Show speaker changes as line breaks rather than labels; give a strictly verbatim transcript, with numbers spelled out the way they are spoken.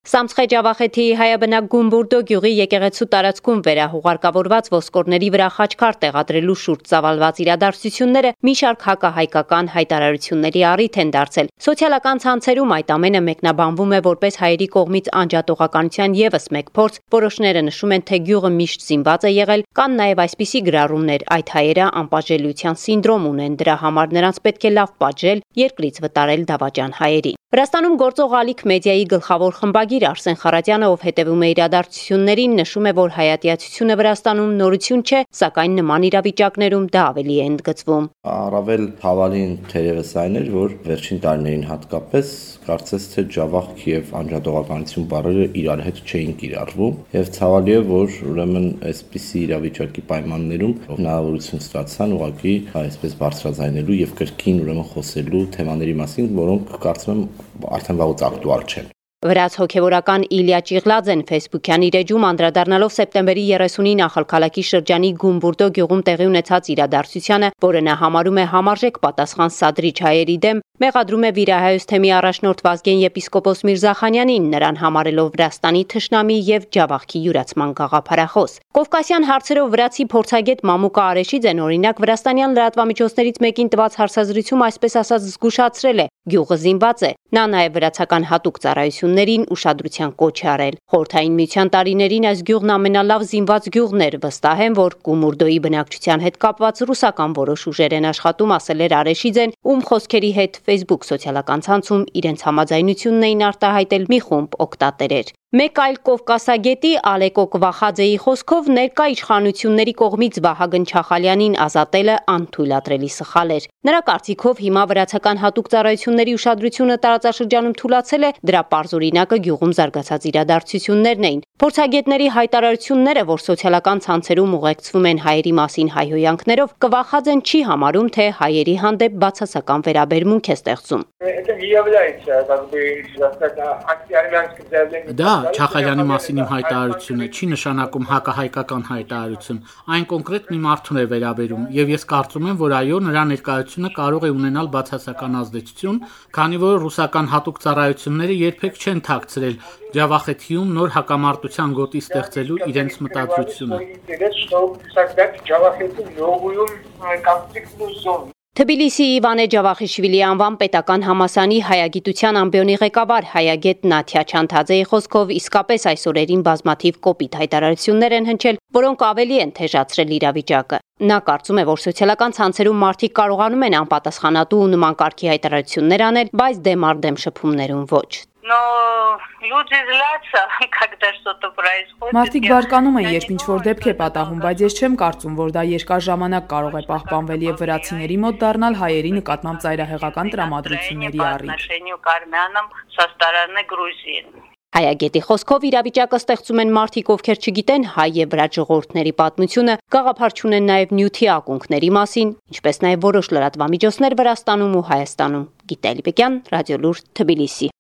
Սամցխե Ջավախեթիի հայաբնակ Գումբուրդո գյուղի եկեղեցու տարածքում վերահուղարկավորված ոսկորների վրա խաչքար տեղադրելու շուրջ ծավալված իրադարձությունները մի շարք հակահայկական հայտարարությունների առիթ են դարձել։ Սոցիալական ցանցերում այդ ամենը մեկնաբանվում է որպես հայերի կողմից անջատողականության ևս մեկ փորձ։ Որոշները նշում են, թե գյուղը միշտ զինված է եղել, կան նաև այսպիսի գրառումներ՝ այդ հայերը անպատժելիության սինդրոմ ունեն, դրա համար նրանց պետք է լավ պատժել, երկրից վտարել դավաճան հայերի։ Վրաստանում գործող Ալիք մեդիայի գլխավոր խմբագիր Արսեն Խարատյանը, ով հետևում է իրադարձություններին, նշում է, որ հայատյացությունը Վրաստանում նորություն չէ, սակայն նման իրավիճակներում դա ավելի է ընդգծվում։
Առավել հավալին թերևս այն էր, որ վերջին տարիներին հատկապես կարծես թե ջավախք եւ անջատողականություն բառերը իրար հետ չէին կիրառվում, եւ ցավալի է, որ ուրեմն այսպիսի իրավիճակի պայմաններում հնարավորություն ստացան ուղղակի այսպես բարձրաձայնելու եւ կրկին ուրեմն խոսելու թեմաների մասին, որոնք կարծում եմ արդեն վաղուց ակտուալ չեն։
Վրաց հոգևորական Իլիա Ճիղլաձեն Facebook-յան իր էջում անդրադառնալով սեպտեմբերի երեսունին Ախալքալակի շրջանի Գումբուրդո գյուղում տեղի ունեցած իրադարձությանը, որը նա համարում է համարժեք պատասխան սադրիչ հայերի դեմ, մեղադրում է վիրահայոց թեմի առաջնորդ Վազգեն եպիսկոպոս Միրզախանյանին, նրան համարելով Վրաստանի թշնամի եւ ջավախքի յուրացման գաղափարախոս։ Կովկասյան հարցերով վրացի փորձագետ Մամուկա Արեշիձեն օրինակ վրաստանյան լրատվամիջոցներից մեկին տված հարցազրույցում այսպես ասած զգուշացրել է՝ գյուղը զինված է։ Նա նաև վրացական հատուկ ծառայություններին ուշադրության կոչ է արել։ Խորհրդային միության տարիներին այս գյուղն ամենալավ զինված գյուղն էր, վստահ եմ, որ Գումուրդոյի բնակչության հետ կապված ռուսական որոշ ուժեր են աշխատում, ասել էր Արեշիձեն, ում խոսքերի հետ Facebook սոցիալական ցանցում իրենց համաձայնությունն էին արտահայտել մի խումբ օգտատերեր։ Մեկ այլ կովկասագետի Ալեկո Կվախաձեի խոսքով ներկա իշխանությունների կողմից Վահագն Չախալյանին ազատելը անթույլատրելի սխալ էր։ Նրա կարծիքով հիմա վրացական հատուկ ծառայությունների ուշադրությունը տարածաշրջանում թուլացել է, դրա պարզ օրինակը գյուղում զարգացած իրադարձություններն էին։ Փորձագետների հայտարարությունները, որ սոցիալական ցանցերում ուղեկցվում են հայերի մասին հայհոյանքներով, Կվախաձեն չի համարում, թե հայերի հանդեպ բացասական վերաբերմունք է ստեղծում։
Դա Չախալյանի մասին իմ հայտարարությունը չի նշանակում հակահայկական հայտարարություն, այն կոնկրետ մի մարդուն է վերաբերում, եւ ես կարծում եմ, որ այո, նրա ներկայությունը կարող է ունենալ բացասական ազդեցություն, քանի որ ռուսական հատուկ ծառայությունները երբեք չեն թաքցրել Ջավախեթիում նոր հակամարտության գոտի ստեղծելու իրենց մտադրությունը։
Թբիլիսիի Իվանե Ջավախիշվիլի անվան պետական համալսարանի հայագիտության ամբիոնի ղեկավար հայագետ Նաթյա Չանթաձեի խոսքով իսկապես այս օրերին բազմաթիվ կոպիտ հայտարարություններ են հնչել, որոնք ավելի են թեժացրել իրավիճակը։ Նա կարծում է, որ սոցիալական ցանցերում մարդիկ կարողանում են անպատասխանատու ու նման կարգի հայտարարություններ անել, բայց դեմ առ դեմ շփումներում ոչ։
Մարդիկ բարկանում են, երբ ինչ-որ դեպք է պատահում, բայց ես չեմ կարծում, որ դա երկար ժամանակ կարող է պահպանվել եւ վրացիների մոտ դառնալ հայերի նկատմամբ ծայրահեղական տրամադրությունների առիթ։
Հայագետի խոսքով իրավիճակը ստեղծում են մարդիկ, ովքեր չգիտեն հայ եւ վրաց ժողովուրդների պատմությունը, գաղափար չունեն նաեւ նյութի ակունքների մասին, ինչպես նաեւ որոշ լրատվամիջոցներ Վրաստանում ու Հայաստանում։ Գիտալի Բեկյան, Ռադիոլուր, Թբիլիսի։